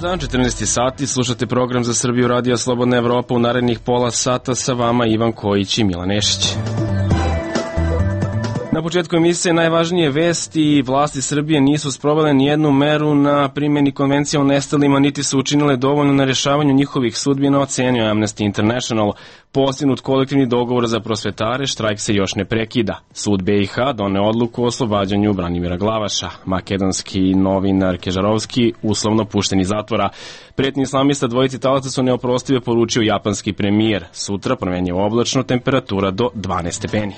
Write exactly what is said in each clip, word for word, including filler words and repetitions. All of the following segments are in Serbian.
dan, četrnaesti sati, slušate program za Srbiju Radio Slobodna Evropa. U narednih pola sata sa vama Ivan Kojić i Milan Nešić. Na početku emisije najvažnije vesti. Vlasti Srbije nisu sprovele nijednu meru na primjeni konvencije o nestalima, niti su učinile dovoljno na rješavanju njihovih sudbina, ocenio Amnesty International. Postignut kolektivni dogovor za prosvetare, štrajk se još ne prekida. Sud be i ha doneo odluku o oslobađanju Branimira Glavaša. Makedonski novinar Kežarovski uslovno pušten iz zatvora. Pretnji islamista dvojici talaca su neoprostive, poručio japanski premijer. Sutra promenjivo oblačno, temperatura do dvanaest stepeni.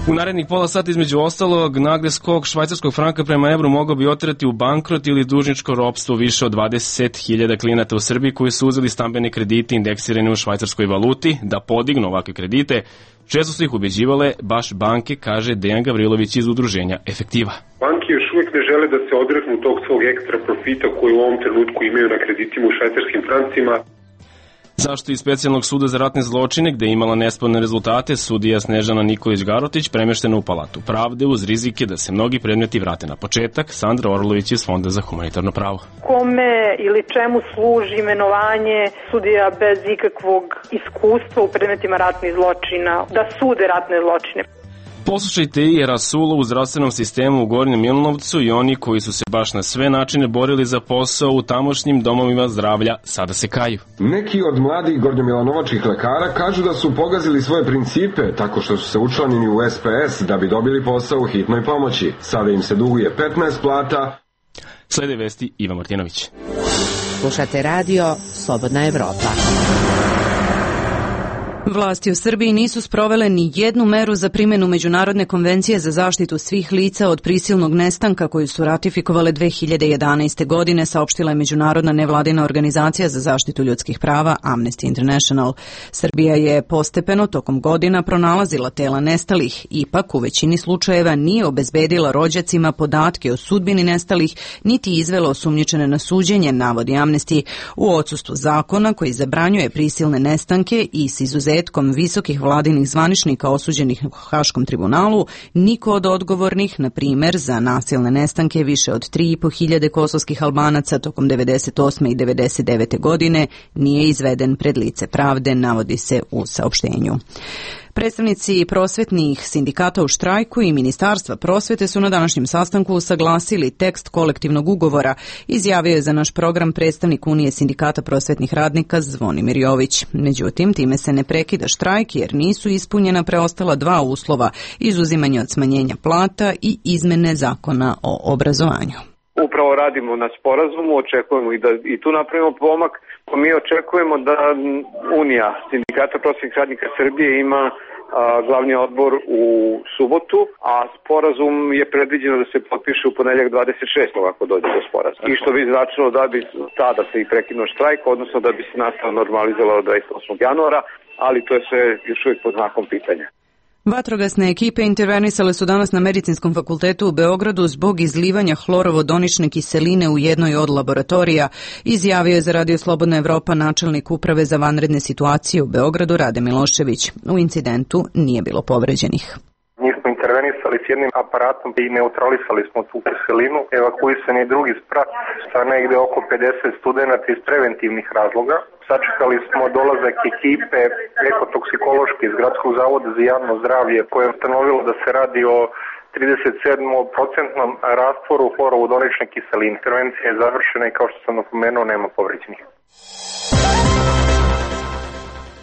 U narednih pola sata između ostalog, nagli skok švajcarskog franka prema evru mogao bi oterati u bankrot ili dužničko ropstvo više od dvadeset hiljada klijenata u Srbiji koji su uzeli stambene kredite indeksirane u švajcarskoj valuti da podignu ovakve kredite. Često su ih ubeđivale baš banke, kaže Dejan Gavrilović iz udruženja Efektiva. Banke još uvijek ne žele da se odreknu tog svog ekstra profita koji u ovom trenutku imaju na kreditima u švajcarskim francima. Zašto iz specijalnog suda za ratne zločine, gde je imala nesporne rezultate, sudija Snežana Nikolić-Garotić premeštena u Palatu pravde uz rizike da se mnogi predmeti vrate na početak. Sandra Orlović iz Fonda za humanitarno pravo. Kome ili čemu služi imenovanje sudija bez ikakvog iskustva u predmetima ratnih zločina, da sude ratne zločine? Poslušajte i Rasulo u zdravstvenom sistemu u Gornjem Milanovcu i oni koji su se baš na sve načine borili za posao u tamošnjim domovima zdravlja sada se kaju. Neki od mladih gornjomilanovačkih lekara kažu da su pogazili svoje principe tako što su se učlanili u es pe es da bi dobili posao u hitnoj pomoći. Sada im se duguje petnaest plata. Slede vesti Ivan Martinović. Slušate radio Slobodna Evropa. Vlasti u Srbiji nisu sprovele ni jednu meru za primjenu Međunarodne konvencije za zaštitu svih lica od prisilnog nestanka koju su ratifikovale dve hiljade jedanaeste. godine, saopštila je Međunarodna nevladina organizacija za zaštitu ljudskih prava Amnesty International. Srbija je postepeno tokom godina pronalazila tela nestalih, ipak u većini slučajeva nije obezbedila rođacima podatke o sudbini nestalih, niti izvela osumnjičene na suđenje, navodi Amnesty, u odsustvu zakona koji zabranjuje prisilne nestanke i s izuzetkom visokih vladinih zvaničnika osuđenih u Haškom tribunalu, niko od odgovornih, na primer za nasilne nestanke više od tri i po hiljade kosovskih Albanaca tokom devedeset osme i devedeset devete. godine, nije izveden pred lice pravde, navodi se u saopštenju. Predstavnici prosvetnih sindikata u štrajku i Ministarstva prosvete su na današnjem sastanku usaglasili tekst kolektivnog ugovora, izjavio je za naš program predstavnik Unije sindikata prosvetnih radnika Zvonimir Jović. Međutim, time se ne prekida štrajk jer nisu ispunjena preostala dva uslova, izuzimanje od smanjenja plata i izmene zakona o obrazovanju. Upravo radimo na sporazumu, očekujemo i da i tu napravimo pomak. Mi očekujemo da Unija sindikata prosvetnih radnika Srbije ima a, glavni odbor u subotu, a sporazum je predviđeno da se potpiše u ponedeljak dvadeset šestog ako dođe do sporazuma. I što bi značilo da bi tada se i prekinuo štrajk, odnosno da bi se nastava normalizovala od dvadeset osmog januara, ali to je sve još uvijek pod znakom pitanja. Vatrogasne ekipe intervenisale su danas na Medicinskom fakultetu u Beogradu zbog izlivanja hlorovodonične kiseline u jednoj od laboratorija, izjavio je za Radio Slobodna Evropa načelnik Uprave za vanredne situacije u Beogradu Rade Milošević. U incidentu nije bilo povređenih. Mi smo intervenisali s jednim aparatom i neutralisali smo tu kiselinu. Evakuisan je drugi sprat sa negde oko pedeset studenata iz preventivnih razloga. Sačekali smo dolazak ekipe ekotoksikološke iz Gradskog zavoda za javno zdravlje koje je ustanovilo da se radi o trideset sedam procentnom rastvoru hlorovodonične kiseline. Intervencija je završena i kao što sam napomenuo nema povređenih.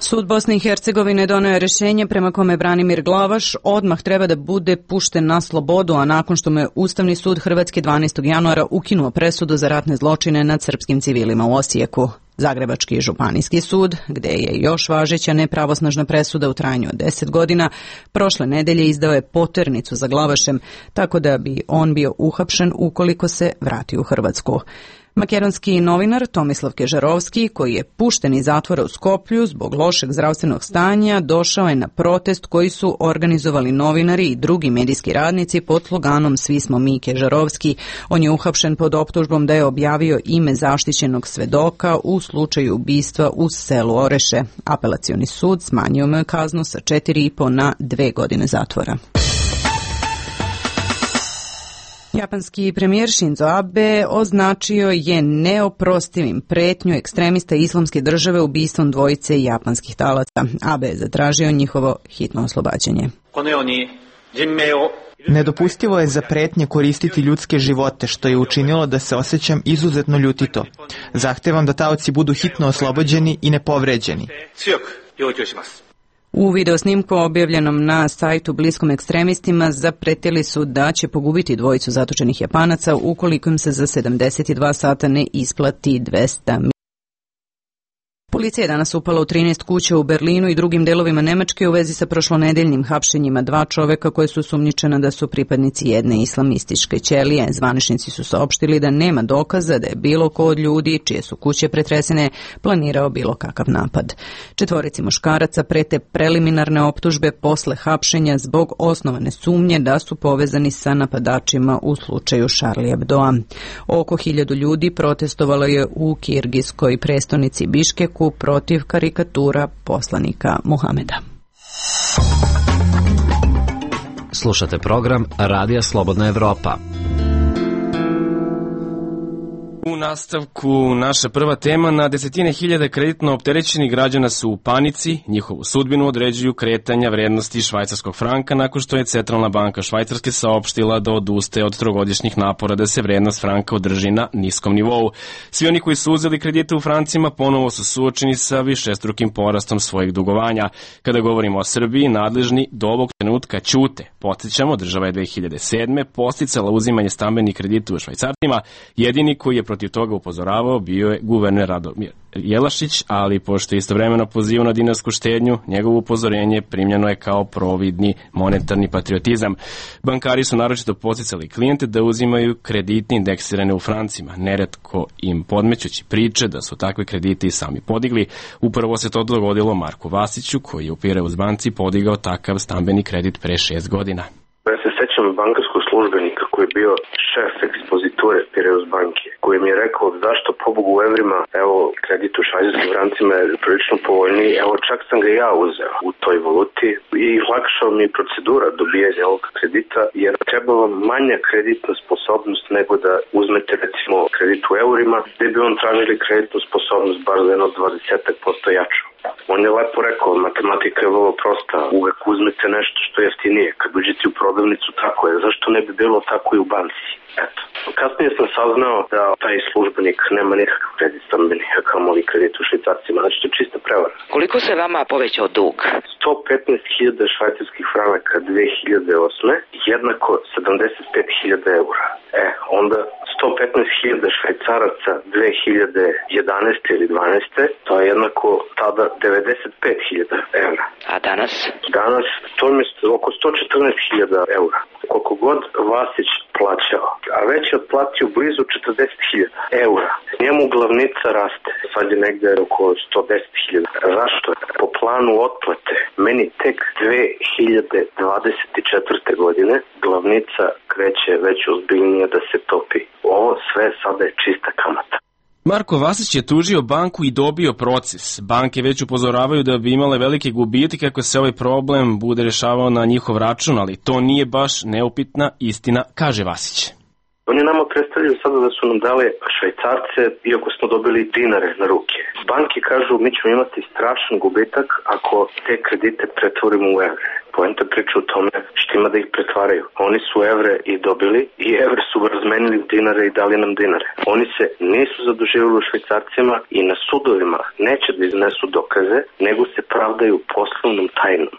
Sud Bosne i Hercegovine doneo je rješenje prema kome Branimir Glavaš odmah treba da bude pušten na slobodu, a nakon što mu je Ustavni sud Hrvatske dvanaestog januara ukinuo presudu za ratne zločine nad srpskim civilima u Osijeku. Zagrebački županijski sud, gde je još važeća nepravosnažna presuda u trajanju od deset godina, prošle nedelje izdao je poternicu za Glavašem, tako da bi on bio uhapšen ukoliko se vrati u Hrvatsku. Makedonski novinar Tomislav Kežarovski, koji je pušten iz zatvora u Skoplju zbog lošeg zdravstvenog stanja, došao je na protest koji su organizovali novinari i drugi medijski radnici pod sloganom Svi smo mi Kežarovski. On je uhapšen pod optužbom da je objavio ime zaštićenog svedoka u slučaju ubistva u selu Oreše. Apelacioni sud smanjio mu je kaznu sa četiri i po na dve godine zatvora. Japanski premijer Shinzo Abe označio je neoprostivim pretnju ekstremista Islamske države ubistvom dvojice japanskih talaca. Abe je zatražio njihovo hitno oslobađanje. Nedopustivo je za pretnje koristiti ljudske živote, što je učinilo da se osjećam izuzetno ljutito. Zahtevam da taoci budu hitno oslobođeni i nepovređeni. U videosnimku objavljenom na sajtu bliskom ekstremistima zapretili su da će pogubiti dvojicu zatočenih Japanaca ukoliko im se za sedamdeset dva sata ne isplati dvesta miliona. Policija je danas upala u trinaest kuća u Berlinu i drugim delovima Nemačke u vezi sa prošlonedeljnim hapšenjima dva čoveka koje su osumnjičena da su pripadnici jedne islamističke ćelije. Zvaničnici su saopštili da nema dokaza da je bilo ko od ljudi čije su kuće pretresene planirao bilo kakav napad. Četvorici muškaraca prete preliminarne optužbe posle hapšenja zbog osnovane sumnje da su povezani sa napadačima u slučaju Charlie Hebdoa. Oko hiljadu ljudi protestovalo je u kirgijskoj prestonici Biškeku protiv karikatura poslanika Muhameda. Slušate program Radija Slobodna Evropa. U nastavku naša prva tema, na desetine hiljade kreditno opterećenih građana su u panici, njihovu sudbinu određuju kretanja vrednosti švajcarskog franka nakon što je Centralna banka Švajcarske saopštila da odustaje od trogodišnjih napora da se vrednost franka održi na niskom nivou. Svi oni koji su uzeli kredite u francima ponovo su suočeni sa višestrukim porastom svojih dugovanja. Kada govorimo o Srbiji, nadležni do ovog trenutka ćute. Podsjećamo, država je dve hiljade sedme podsticala uzimanje stambenih kredita u švajcarcima, jedini koji je protiv toga upozoravao bio je guverner Radomir Jelašić, ali pošto je istovremeno pozivao na dinarsku štednju, njegovo upozorenje primljeno je kao providni monetarni patriotizam. Bankari su naročito podsticali klijente da uzimaju kredite indeksirane u francima, neretko im podmećući priče da su takve kredite i sami podigli. Upravo se to dogodilo Marku Vasiću, koji je u Pireus banci podigao takav stambeni kredit pre šest godina. Ja se sećam bankarskog službenika koji je bio šef ekspoziture Pireus banke, koji mi je rekao zašto pobogu u evrima, evo kredit u švajcarskim francima je prilično povoljniji, evo čak sam ga ja uzeo u toj valuti i lakšao mi je procedura dobijanja ovog kredita, jer treba vam manja kreditna sposobnost nego da uzmete recimo kredit u eurima, gde bi on tražili kreditnu sposobnost bar za jedno dvadeset posto jaču. On je lepo rekao, matematika je vrlo prosta, uvek uzmete nešto što je jeftinije, kad uđete u prodavnicu tako je, zašto ne bi bilo tako i u banci? Eto. Kasnije sam saznao da taj službenik nema nikakav kredit stambeni, a kamoli kredit u švajcarcima, znači to je čista prevara. Koliko se vama povećao dug? sto petnaest hiljada švajcarskih franaka dve hiljade osme jednako sedamdeset pet hiljada eura. E, onda sto petnaest hiljada švajcaraca dve hiljade jedanaeste ili dvanaeste to je jednako tada devedeset pet hiljada eura. A danas? Danas to je oko sto četrnaest hiljada eura. Koliko god Vasić plaćao, a već je otplatio blizu četrdeset hiljada eura. Njemu glavnica raste, sad je negde oko sto deset hiljada. Zašto? Po planu otplate, meni tek dve hiljade dvadeset četvrte godine glavnica kreće već ozbiljnije da se topi. Ovo sve sada je čista kamata. Marko Vasić je tužio banku i dobio proces. Banke već upozoravaju da bi imale velike gubitke ako se ovaj problem bude rešavao na njihov račun, ali to nije baš neupitna istina, kaže Vasić. Oni nama predstavljaju sada da su nam dali švajcarce, iako smo dobili dinare na ruke. Banke kažu mi ćemo imati strašan gubitak ako te kredite pretvorimo u evre. Poenta priča u tome što ima da ih pretvaraju. Oni su evre i dobili i evre su razmenili u dinare i dali nam dinare. Oni se nisu zaduživali u švajcarcima i na sudovima neće da iznesu dokaze, nego se pravdaju poslovnom tajnom.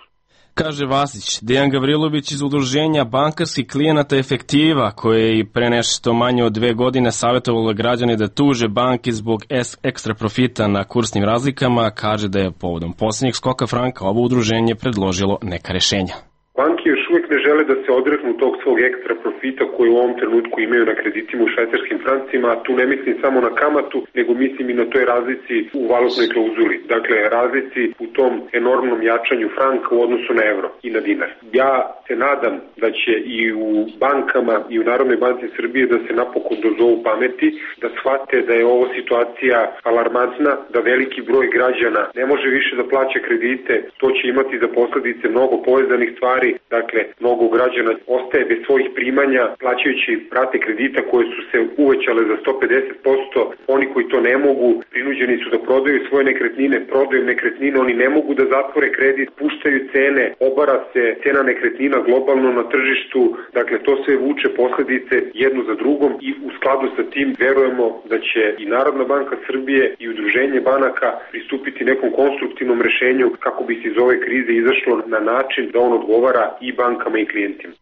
Kaže Vasić. Dejan Gavrilović iz udruženja bankarskih klijenata Efektiva, koje je i pre nešto manje od dve godine savjetovalo građane da tuže banke zbog ekstra profita na kursnim razlikama, kaže da je povodom posljednjeg skoka franka ovo udruženje predložilo neka rešenja. Banke još uvijek ne žele da se odreknu tog svog ekstra profita koji u ovom trenutku imaju na kreditima u švajcarskim francima, a tu ne mislim samo na kamatu, nego mislim i na toj razlici u valutnoj klauzuli. Dakle, razlici u tom enormnom jačanju franka u odnosu na evro i na dinar. Ja se nadam da će i u bankama i u Narodnoj banci Srbije da se napokon dozovu pameti, da shvate da je ovo situacija alarmantna, da veliki broj građana ne može više da plaća kredite, to će imati za posledice mnogo povezanih stvari, Dakle, mnogo građana ostaje bez svojih primanja plaćajući rate kredita koje su se uvećale za sto pedeset posto. Oni koji to ne mogu, prinuđeni su da prodaju svoje nekretnine, prodaju nekretnine, oni ne mogu da zatvore kredit, puštaju cene, obara se cena nekretnina globalno na tržištu. Dakle, to sve vuče posledice jednu za drugom i u skladu sa tim verujemo da će i Narodna banka Srbije i udruženje banaka pristupiti nekom konstruktivnom rešenju kako bi se iz ove krize izašlo na način da on odgovara i bankama i klijentima.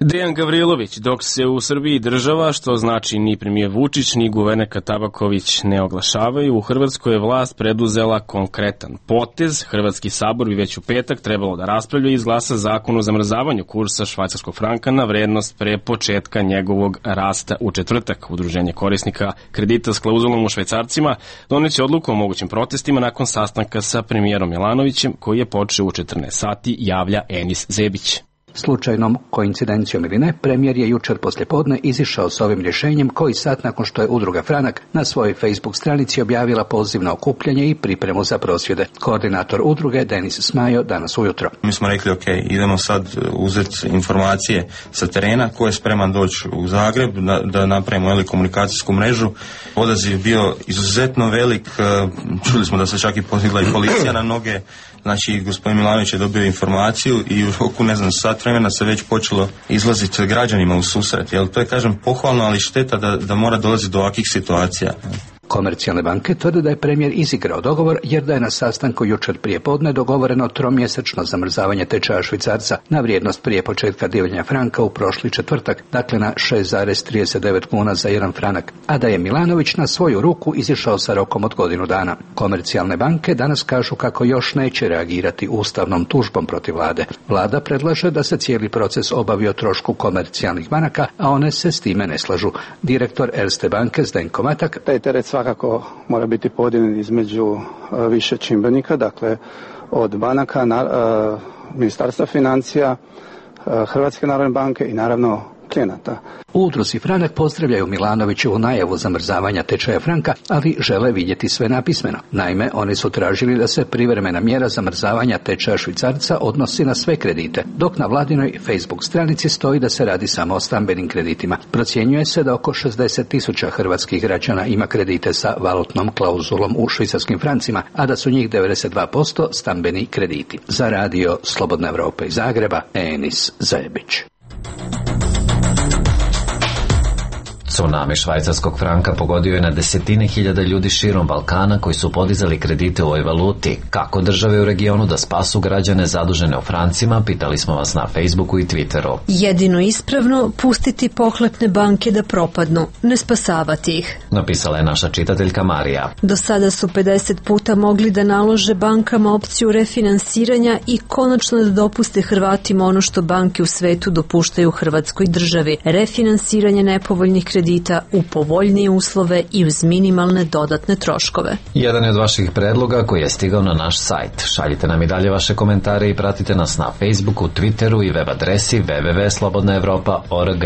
Dejan Gavrilović, dok se u Srbiji država, što znači ni premijer Vučić, ni guvernerka Tabaković ne oglašavaju, u Hrvatskoj je vlast preduzela konkretan potez. Hrvatski sabor bi već u petak trebalo da raspravlja i izglasa zakon o zamrzavanju kursa švajcarskog franka na vrednost pre početka njegovog rasta u četvrtak. Udruženje korisnika kredita s klauzulom u švajcarcima doneće odluku o mogućim protestima nakon sastanka sa premijerom Milanovićem koji je počeo u četrnaest sati, javlja Enis Zebić. Slučajnom koincidencijom ili ne, premijer je jučer poslijepodne izišao s ovim rješenjem koji sat nakon što je udruga Franak na svojoj Facebook stranici objavila poziv na okupljanje i pripremu za prosvjede. Koordinator udruge Denis Smajo danas ujutro. Mi smo rekli ok, idemo sad uzeti informacije sa terena, ko je spreman doći u Zagreb da, da napravimo ili komunikacijsku mrežu. Odaziv je bio izuzetno velik, čuli smo da se čak i podigla i policija na noge. Znači, gospodin Milanović je dobio informaciju i u roku, ne znam, sat vremena se već počelo izlaziti građanima u susret. Jel, to je, kažem, pohvalno, ali šteta da, da mora dolaziti do ovakvih situacija. Komercijalne banke tvrde da je premijer izigrao dogovor jer da je na sastanku jučer prije podne dogovoreno tromjesečno zamrzavanje tečaja švicarca na vrijednost prije početka divljanja franka u prošli četvrtak, dakle na šest zarez trideset devet kuna za jedan franak, a da je Milanović na svoju ruku izišao sa rokom od godinu dana. Komercijalne banke danas kažu kako još neće reagirati ustavnom tužbom protiv vlade. Vlada predlaže da se cijeli proces obavi o trošku komercijalnih banaka, a one se s time ne slažu. Direktor Erste banke Zdenko Matak: taj teret svakako mora biti podijeljen između više čimbenika, dakle od banaka, na, uh, Ministarstva financija, uh, Hrvatske narodne banke i naravno klijenata. U udruzi Franak pozdravljaju Milanovićevu najavu zamrzavanja tečaja franka, ali žele vidjeti sve napismeno. Naime, oni su tražili da se privremena mjera zamrzavanja tečaja švicarca odnosi na sve kredite, dok na vladinoj Facebook stranici stoji da se radi samo o stambenim kreditima. Procjenjuje se da oko šezdeset tisuća hrvatskih građana ima kredite sa valutnom klauzulom u švicarskim francima, a da su njih devedeset dva posto stambeni krediti. Za radio Slobodna Evropa iz Zagreba, Enis Zebić. Tsunami švajcarskog franka pogodio je na desetine hiljada ljudi širom Balkana koji su podizali kredite u ovoj valuti. Kako države u regionu da spasu građane zadužene u francima, pitali smo vas na Facebooku i Twitteru. Jedino ispravno pustiti pohlepne banke da propadnu, ne spasavati ih, napisala je naša čitateljka Marija. Do sada su pedeset puta mogli da nalože bankama opciju refinansiranja i konačno da dopuste Hrvatima ono što banke u svetu dopuštaju Hrvatskoj državi, refinansiranje nepovoljnih kredita u povoljnije uslove i uz minimalne dodatne troškove. Jedan je od vaših predloga koji je stigao na naš sajt. Šaljite nam i dalje vaše komentare i pratite nas na Facebooku, Twitteru i web adresi w w w tačka slobodna evropa tačka org.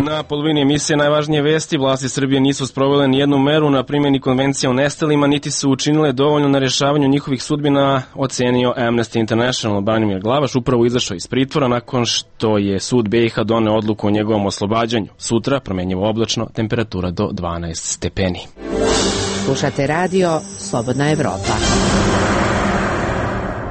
Na polovini emisije najvažnije vesti, vlasti Srbije nisu sprovele ni jednu meru na primjeni konvencije o nestalima, niti su učinile dovoljno na rješavanju njihovih sudbina, ocenio Amnesty International. Branimir Glavaš upravo izašao iz pritvora nakon što je sud B i H doneo odluku o njegovom oslobađanju. Sutra promenjivo oblačno, temperatura do dvanaest stepeni. Slušate radio Slobodna Evropa.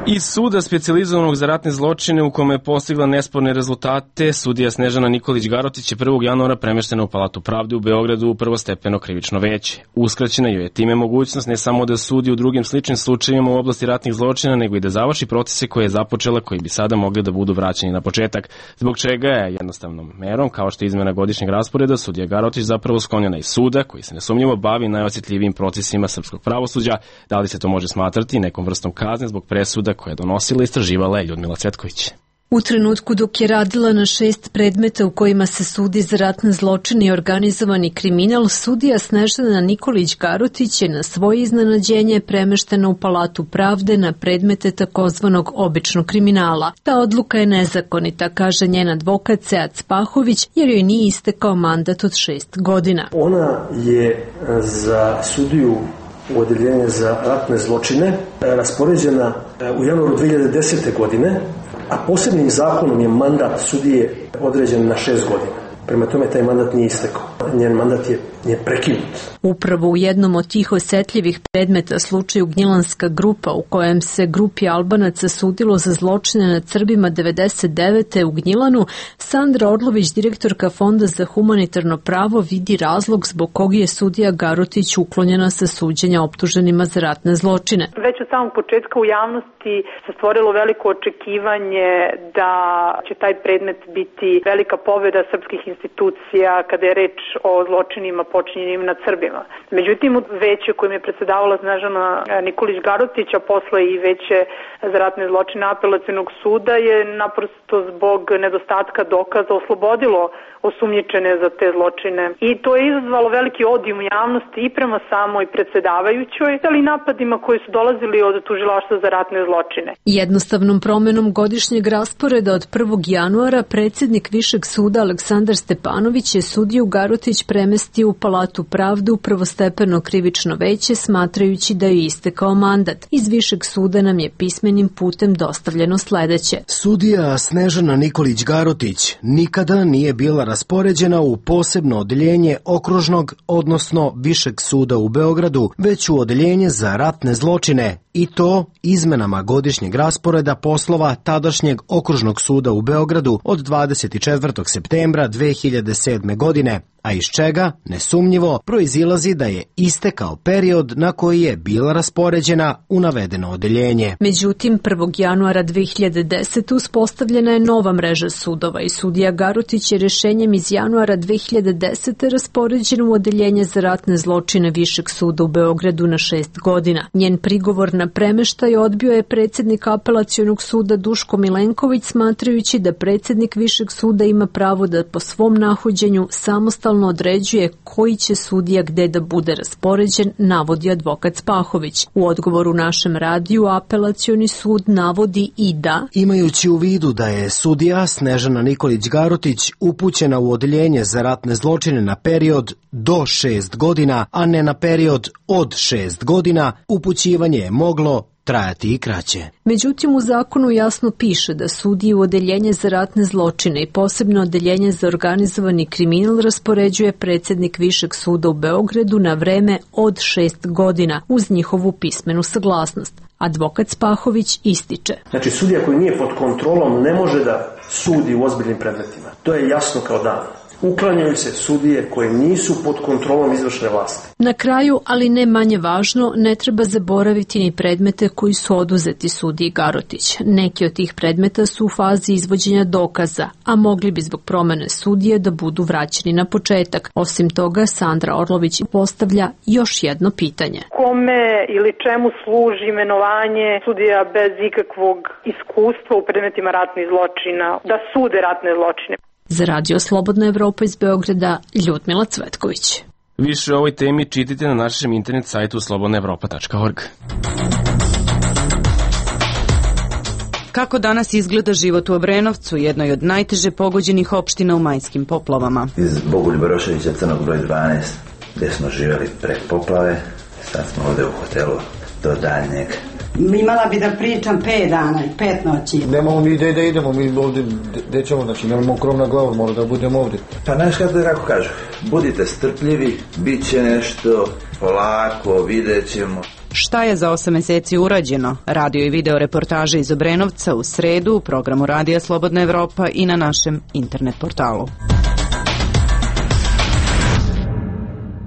Iz suda specijalizovanog za ratne zločine u kome je postigla nesporne rezultate, sudija Snežana Nikolić Garotić je prvog januara premeštena u Palatu pravde u Beogradu u prvostepeno krivično veće. Uskraćena joj je time mogućnost ne samo da sudi u drugim sličnim slučajevima u oblasti ratnih zločina, nego i da završi procese koje je započela, koji bi sada mogli da budu vraćeni na početak, zbog čega je jednostavnom merom, kao što je izmena godišnjeg rasporeda, sudija Garotić zapravo sklonjena iz suda, koji se nesumnjivo bavi najosjetljivijim procesima srpskog pravosuđa. Da li se to može smatrati nekom vrstom kazne zbog presuda koje je donosila i istraživala je Ljudmila Cvetković. U trenutku dok je radila na šest predmeta u kojima se sudi za ratne zločine i organizovani kriminal, sudija Snežana Nikolić Garotić je na svoje iznenađenje premeštena u Palatu pravde na predmete takozvanog običnog kriminala. Ta odluka je nezakonita, kaže njen advokat Sead Spahović, jer joj nije istekao mandat od šest godina. Ona je za sudiju u odeljenje za ratne zločine raspoređena u januaru dve hiljade desete. godine, a posebnim zakonom je mandat sudije određen na šest godina. Prema tome taj mandat nije istekao. Njen mandat je, je prekinut. Upravo u jednom od tih osetljivih predmeta, slučaju Gnjilanska grupa, u kojem se grupi Albanaca sudilo za zločine nad Srbima devedeset devete. u Gnjilanu, Sandra Orlović, direktorka Fonda za humanitarno pravo, vidi razlog zbog kog je sudija Garotić uklonjena sa suđenja optuženima za ratne zločine. Već od samog početka u javnosti se stvorilo veliko očekivanje da će taj predmet biti velika pobjeda srpskih institucija kada je reč o zločinima počinjenim nad Srbima. Međutim, veće kojim je predsedavala Snežana Nikolić Garotić, a posle i veće za ratne zločine Apelacionog suda, je naprosto zbog nedostatka dokaza oslobodilo osumnjičene za te zločine. I to je izazvalo veliki odijum u javnosti i prema samoj predsedavajućoj, ali i napadima koji su dolazili od tužilaštva za ratne zločine. Jednostavnom promenom godišnjeg rasporeda od prvog januara predsjednik Višeg suda Aleksandar Stepanović je sudiju Garotić premestio u Palatu pravde u prvostepeno krivično veće, smatrajući da je istekao mandat. Iz Višeg suda nam je pismenim putem dostavljeno sledeće. Sudija Snežana Nikolić Garotić nikada nije bila raspoređena u posebno odeljenje okružnog, odnosno Višeg suda u Beogradu, već u odeljenje za ratne zločine, i to izmenama godišnjeg rasporeda poslova tadašnjeg okružnog suda u Beogradu od dvadeset četvrtog septembra dve hiljade sedme. godine, a iz čega, nesumnjivo, proizilazi da je istekao period na koji je bila raspoređena u navedeno odeljenje. Međutim, prvog januara dve hiljade desete. uspostavljena je nova mreža sudova i sudija Garotić je rešenjem iz januara dve hiljade desete. raspoređen u odeljenje za ratne zločine Višeg suda u Beogradu na šest godina. Njen prigovor na premeštaj odbio je predsjednik Apelacionog suda Duško Milenković, smatrajući da predsjednik Višeg suda ima pravo da po svom nahođenju samostalno određuje koji će sudija gde da bude raspoređen, navodi advokat Spahović. U odgovoru našem radiju Apelacioni sud navodi i da, imajući u vidu da je sudija Snežana Nikolić Garotić upućena u odeljenje za ratne zločine na period do šest godina, a ne na period od šest godina, upućivanje je moglo trajati i kraće. Međutim, u zakonu jasno piše da sudije u odeljenje za ratne zločine i posebno odeljenje za organizovani kriminal raspoređuje predsjednik Višeg suda u Beogradu na vreme od šest godina uz njihovu pismenu saglasnost. Advokat Spahović ističe. Znači, sudija koji nije pod kontrolom ne može da sudi u ozbiljnim predmetima. To je jasno kao dan. Uklanjaju se sudije koje nisu pod kontrolom izvršne vlasti. Na kraju, ali ne manje važno, ne treba zaboraviti ni predmete koji su oduzeti sudiji Garotić. Neki od tih predmeta su u fazi izvođenja dokaza, a mogli bi zbog promene sudije da budu vraćeni na početak. Osim toga, Sandra Orlović postavlja još jedno pitanje. Kome ili čemu služi imenovanje sudija bez ikakvog iskustva u predmetima ratnih zločina, da sude ratne zločine? Za Radio Slobodna Evropa iz Beograda, Ljudmila Cvetković. Više o ovoj temi čitajte na našem internet sajtu slobodna evropa tačka org. Kako danas izgleda život u Obrenovcu, jednoj od najteže pogođenih opština u majskim poplavama? Iz Bogoljuba Roševića, Crnog broj dvanaest, gde smo živjeli pre poplave, sad smo ovde u hotelu do daljnjeg. Imala bi da pričam pet dana i pet noći. Nemamo mi gde da idemo, mi ovde gde ćemo, znači nemamo krov na glavu, mora da budemo ovde. Pa znaš kako kažu, budite strpljivi, bit će nešto, polako, vidjet ćemo. Šta je za osam meseci urađeno? Radio i video reportaže iz Obrenovca u sredu u programu Radija Slobodna Evropa i na našem internet portalu.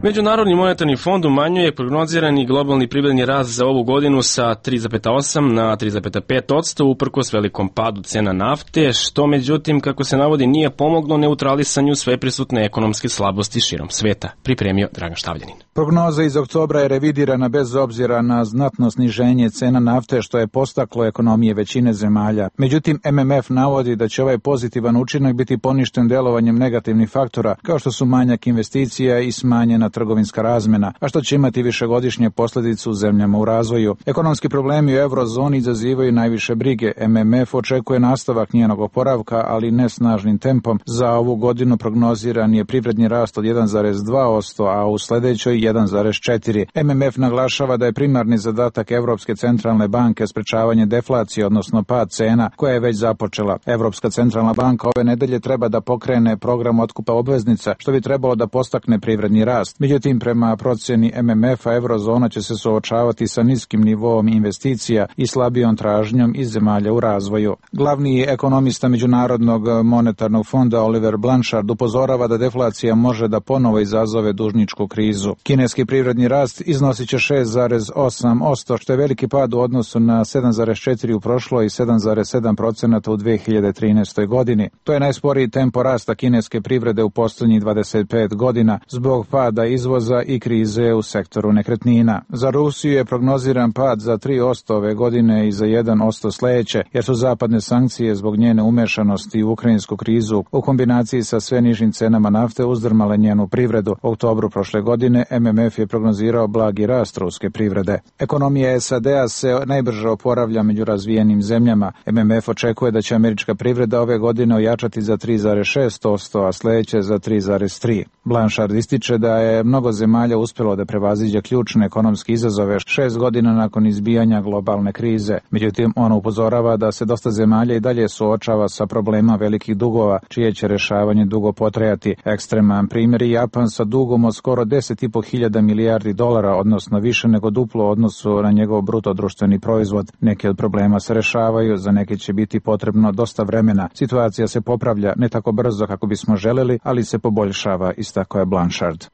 Međunarodni monetarni fond umanjuje prognozirani globalni privredni rast za ovu godinu sa tri zarez osam na tri zarez pet posto uprkos velikom padu cena nafte, što međutim, kako se navodi, nije pomoglo neutralisanju sveprisutne ekonomske slabosti širom sveta, pripremio Dragan Štavljanin. Prognoza iz oktobra je revidirana bez obzira na znatno sniženje cena nafte, što je postaklo ekonomije većine zemalja. Međutim, M M F navodi da će ovaj pozitivan učinak biti poništen delovanjem negativnih faktora, kao što su manjak investicija i smanjena trgovinska razmena, a što će imati višegodišnje posljedice u zemljama u razvoju. Ekonomski problemi u eurozoni izazivaju najviše brige. M M F očekuje nastavak njenog oporavka, ali ne snažnim tempom. Za ovu godinu prognoziran je privredni rast od jedan zarez dva posto, a u sledećoj jedan zarez četiri posto. M M F naglašava da je primarni zadatak Evropske centralne banke sprečavanje deflacije, odnosno pad cena, koja je već započela. Evropska centralna banka ove nedelje treba da pokrene program otkupa obveznica, što bi trebalo da postakne privredni rast. Međutim, prema procjeni M M F-a, eurozona će se suočavati sa niskim nivoom investicija i slabijom tražnjom iz zemalja u razvoju. Glavni ekonomista Međunarodnog monetarnog fonda Oliver Blanchard upozorava da deflacija može da ponovo izazove dužničku krizu. Kineski privredni rast iznosit će šest zarez osam posto, što je veliki pad u odnosu na sedam zarez četiri u prošloj i sedam zarez sedam procenata u dve hiljade trinaestoj godini. To je najsporiji tempo rasta kineske privrede u posljednjih dvadeset pet godina zbog pada izvoza i krize u sektoru nekretnina. Za Rusiju je prognoziran pad za tri posto ove godine i za jedan posto sledeće, jer su zapadne sankcije zbog njene umešanosti u ukrajinsku krizu u kombinaciji sa sve nižim cenama nafte uzdrmale njenu privredu. U oktobru prošle godine M M F je prognozirao blagi rast ruske privrede. Ekonomija S A D-a se najbrže oporavlja među razvijenim zemljama. M M F očekuje da će američka privreda ove godine ojačati za tri zarez šest posto, a sledeće za tri zarez tri posto. Blanchard ističe da je mnogo zemalja uspjelo da prevaziđe ključne ekonomske izazove šest godina nakon izbijanja globalne krize. Međutim, on upozorava da se dosta zemalja i dalje suočava sa problema velikih dugova, čije će rešavanje dugo potrajati. Ekstreman primjer je Japan sa dugom od skoro deset i po hiljada milijardi dolara, odnosno više nego duplo u odnosu na njegov bruto društveni proizvod. Neki od problema se rešavaju, za neke će biti potrebno dosta vremena. Situacija se popravlja ne tako brzo kako bismo želeli, ali se poboljšava, istako je Blanchard.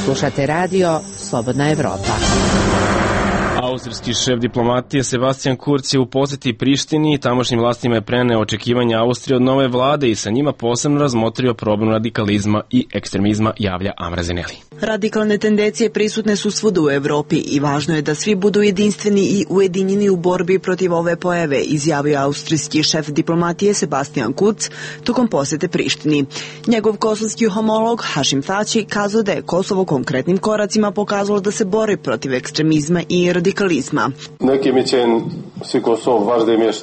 Slušate radio Slobodna Evropa. Austrijski šef diplomatije Sebastian Kurz je u poseti Prištini i tamošnjim vlastima je preneo očekivanja Austrije od nove vlade i sa njima posebno razmotrio problem radikalizma i ekstremizma, javlja Amra Zeneli. Radikalne tendencije prisutne su svuda u Evropi i važno je da svi budu jedinstveni i ujedinjeni u borbi protiv ove pojave, izjavio austrijski šef diplomatije Sebastian Kurz tokom posete Prištini. Njegov kosovski homolog Hašim Tači kazao da je Kosovo konkretnim koracima pokazalo da se bori protiv ekstremizma i radikalizma.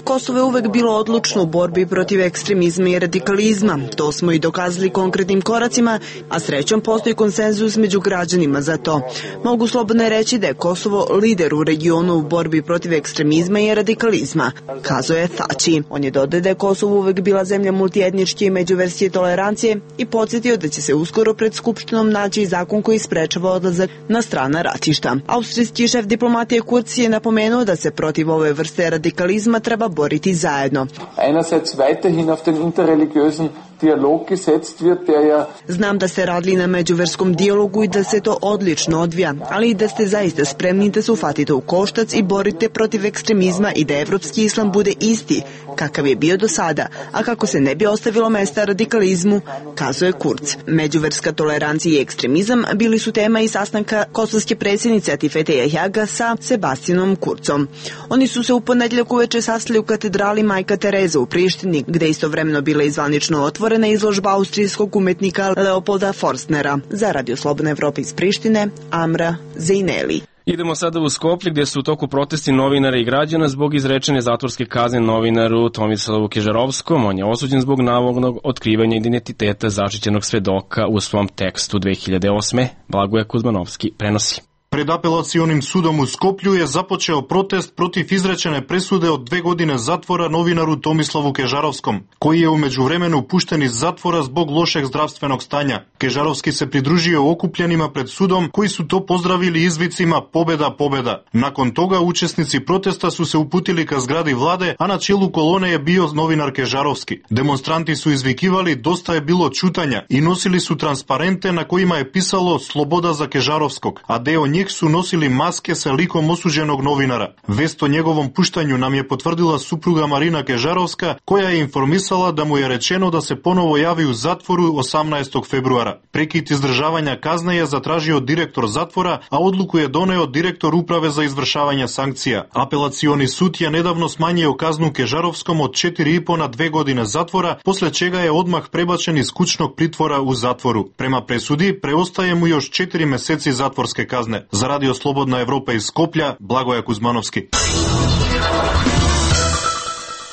Kosovo je uvek bilo odlučno u borbi protiv ekstremizma i radikalizma. To smo i dokazali konkretnim koracima, a srećom postoji konsenzus među građanima za to. Mogu slobodno reći da je Kosovo lider u regionu u borbi protiv ekstremizma i radikalizma, kazao je Tači. On je dodao da je Kosovo uvek bila zemlja multietničke i međuverske tolerancije i podsjetio da će se uskoro pred Skupštinom naći zakon koji sprečava odlazak na strana ratišta. Austrijski šef diplomatije Kurz je napomenuo da se protiv ove vrste radikalizma treba boriti zajedno. Einerseits weiterhin auf den interreligiösen Dialog gesetzt wird, der ja... Znam da ste radili na međuverskom dijalogu i da se to odlično odvija, ali i da ste zaista spremni da se ufatite u koštac i borite protiv ekstremizma i da evropski islam bude isti kakav je bio do sada, a kako se ne bi ostavilo mesta radikalizmu, kazao je Kurz. Međuverska tolerancija i ekstremizam bili su tema i sastanka kosovske predsjednice Atifete Jahjaga sa Sebastianom Kurzom. Oni su se u ponedeljak uveče sastali u katedrali Majka Tereza u Prištini, gde je istovremeno bila izvanično otvorena izložba austrijskog umetnika Leopolda Forstnera. Za Radio Slobodna Evropa iz Prištine, Amra Zejneli. Idemo sada u Skoplje gdje su u toku protesti novinara i građana zbog izrečene zatvorske kazne novinaru Tomislavu Kežarovskom. On je osuđen zbog navodnog otkrivanja identiteta zaštićenog svedoka u svom tekstu dve hiljade osme. Blagoje Kuzmanovski prenosi. Pred apelacionim sudom u Skoplju je započeo protest protiv izrečene presude od dve godine zatvora novinaru Tomislavu Kežarovskom, koji je u međuvremenu pušten iz zatvora zbog lošeg zdravstvenog stanja. Kežarovski se pridružio okupljenima pred sudom, koji su to pozdravili izvicima pobeda, pobeda. Nakon toga učesnici protesta su se uputili ka zgradi vlade, a na čelu kolone je bio novinar Kežarovski. Demonstranti su izvikivali dosta je bilo čutanja i nosili su transparente na kojima je pisalo sloboda za Kežarovskog, a deo njih njih su nosili maske sa likom osuđenog novinara. Vest o njegovom puštanju nam je potvrdila supruga Marina Kežarovska, koja je informisala da mu je rečeno da se ponovo javi u zatvoru osamnaestog februara. Prekid izdržavanja kazne je zatražio direktor zatvora, a odluku je doneo direktor uprave za izvršavanje sankcija. Apelacioni sud je nedavno smanjio kaznu Kežarovskom od četiri i po na dve godine zatvora, posle čega je odmah prebačen iz kućnog pritvora u zatvoru. Prema presudi, preostaje mu još četiri meseci zatvorske kazne. Za Radio Slobodna Evropa iz Skoplja, Blagoje Kuzmanovski.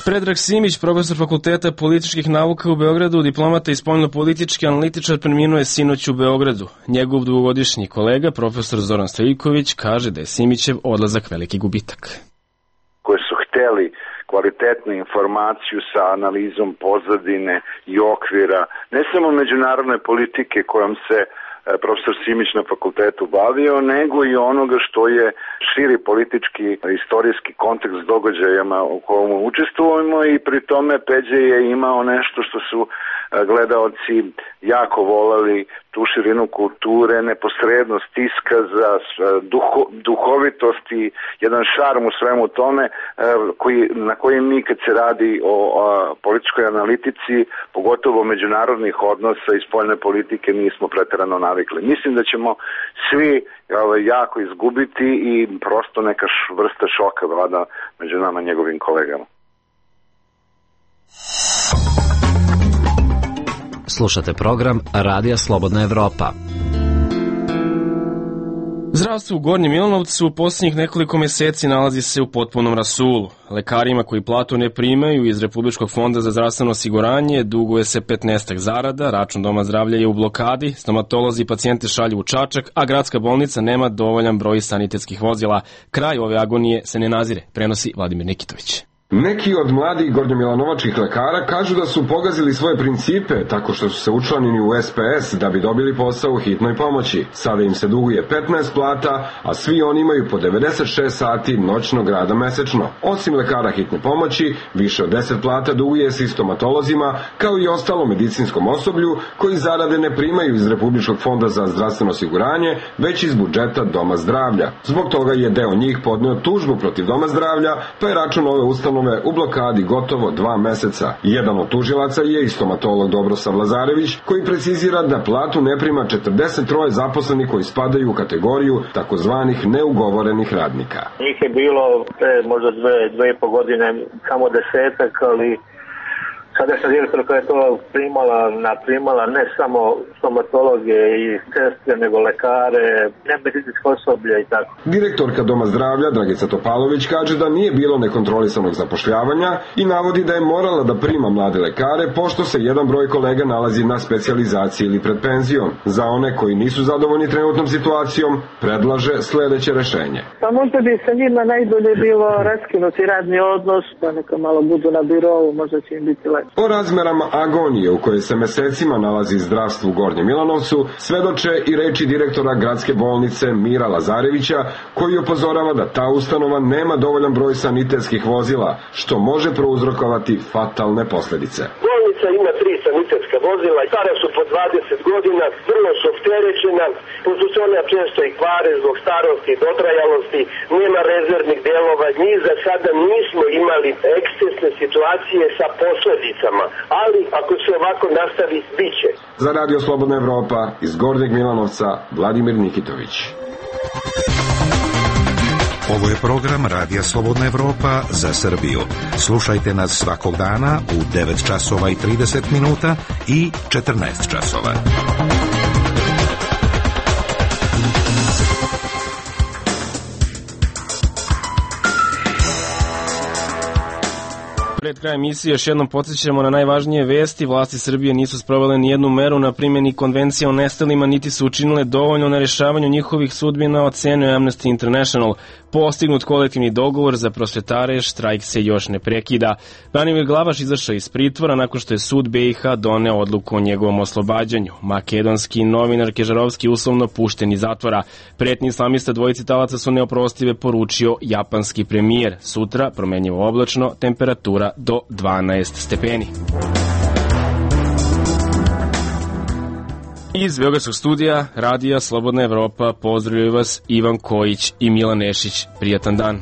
Predrag Simić, profesor Fakulteta političkih nauka u Beogradu, diplomata i spoljno-politički analitičar, preminuo je sinoć u Beogradu. Njegov dugogodišnji kolega, profesor Zoran Stojiković, kaže da je Simićev odlazak veliki gubitak. Koji su hteli kvalitetnu informaciju sa analizom pozadine i okvira, ne samo međunarodne politike kojom se profesor Simić na fakultetu bavio, nego i onoga što je širi politički, istorijski kontekst s događajama u kojem učestvujemo, i pri tome Peđe je imao nešto što su gledaoci jako volali, tu širinu kulture, neposrednost iskaza, duho, duhovitost i jedan šarm u svemu tome koji, na koji mi kad se radi o, o političkoj analitici, pogotovo međunarodnih odnosa i spoljne politike, nismo preterano navikli. Mislim da ćemo svi jako izgubiti i prosto neka vrsta šoka vlada među nama njegovim kolegama. Slušate program Radija Slobodna Evropa. Zdravstvo u Gornjem Milanovcu u posljednjih nekoliko meseci nalazi se u potpunom rasulu. Lekarima koji platu ne primaju iz Republičkog fonda za zdravstveno osiguranje duguje se petnaestak zarada, račun Doma zdravlja je u blokadi, stomatolozi i pacijente šalju u Čačak, a gradska bolnica nema dovoljan broj sanitetskih vozila. Kraj ove agonije se ne nazire, prenosi Vladimir Nikitović. Neki od mladih gornjomilanovačkih lekara kažu da su pogazili svoje principe tako što su se učlanili u S P S da bi dobili posao u hitnoj pomoći. Sada im se duguje petnaest plata, a svi oni imaju po devedeset šest sati noćnog rada mesečno. Osim lekara hitne pomoći, više od deset plata duguje se i stomatolozima, kao i ostalo medicinskom osoblju koji zarade ne primaju iz Republičkog fonda za zdravstveno osiguranje, već iz budžeta Doma zdravlja. Zbog toga je deo njih podneo tužbu protiv Doma zdravlja, pa je račun ove ustanove u blokadi gotovo dva meseca. Jedan od tužilaca je i stomatolog Dobrosav Lazarević, koji precizira da platu ne prima četrdeset tri zaposlenih koji spadaju u kategoriju takozvanih neugovorenih radnika. Njih je bilo pre možda dve, dve i po godine samo desetak, ali sadašnja direktorka je to primala, naprimala ne samo stomatologe i sestre, nego lekare, nemedicinsko osoblje i tako. Direktorka Doma zdravlja Dragica Topalović kaže da nije bilo nekontrolisanog zapošljavanja i navodi da je morala da prima mlade lekare pošto se jedan broj kolega nalazi na specijalizaciji ili pred penzijom. Za one koji nisu zadovoljni trenutnom situacijom, predlaže sledeće rešenje. Pa možda bi sa njima najbolje bilo raskinuti radni odnos, pa neka malo budu na birovu, možda će im biti lepo. O razmerama agonije u kojoj se mesecima nalazi zdravstvo u Gornjem Milanovcu svedoče i reči direktora gradske bolnice Mira Lazarevića, koji upozorava da ta ustanova nema dovoljan broj sanitetskih vozila, što može prouzrokovati fatalne posledice. Bolnica ima tri sanitetska vozila, stara su po dvadeset godina, vrlo su opterećena, pošto se ona često i kvare zbog starosti i dotrajalosti, nema rezervnih delova, mi za sada nismo imali ekscesne situacije sa posledicama, ali ako se ovako nastavi, bit će. Za Radio Slobodna Evropa iz Gornjeg Milanovca, Vladimir Nikitović. Ovo je program Radija Slobodna Evropa za Srbiju. Slušajte nas svakog dana u devet časova i trideset minuta i četrnaest časova. Pred krajem emisije još jednom podsjećamo na najvažnije vesti. Vlasti Srbije nisu sprovele ni jednu meru na primjeni konvencije o nestalima, niti su učinile dovoljno na rešavanju njihovih sudbina, ocenio Amnesty International. Postignut kolektivni dogovor za prosvetare, štrajk se još ne prekida. Branimir Glavaš izašao iz pritvora nakon što je sud B i H doneo odluku o njegovom oslobađanju. Makedonski novinar Kežarovski uslovno pušten iz zatvora. Pretnji islamista dvojici talaca su neoprostive, poručio japanski premijer. Sutra promenjivo oblačno, temperatura do dvanaest stepeni. Iz Beogradskog studija Radija Slobodna Evropa pozdravljaju vas Ivan Kojić i Milan Nešić. Prijatan dan.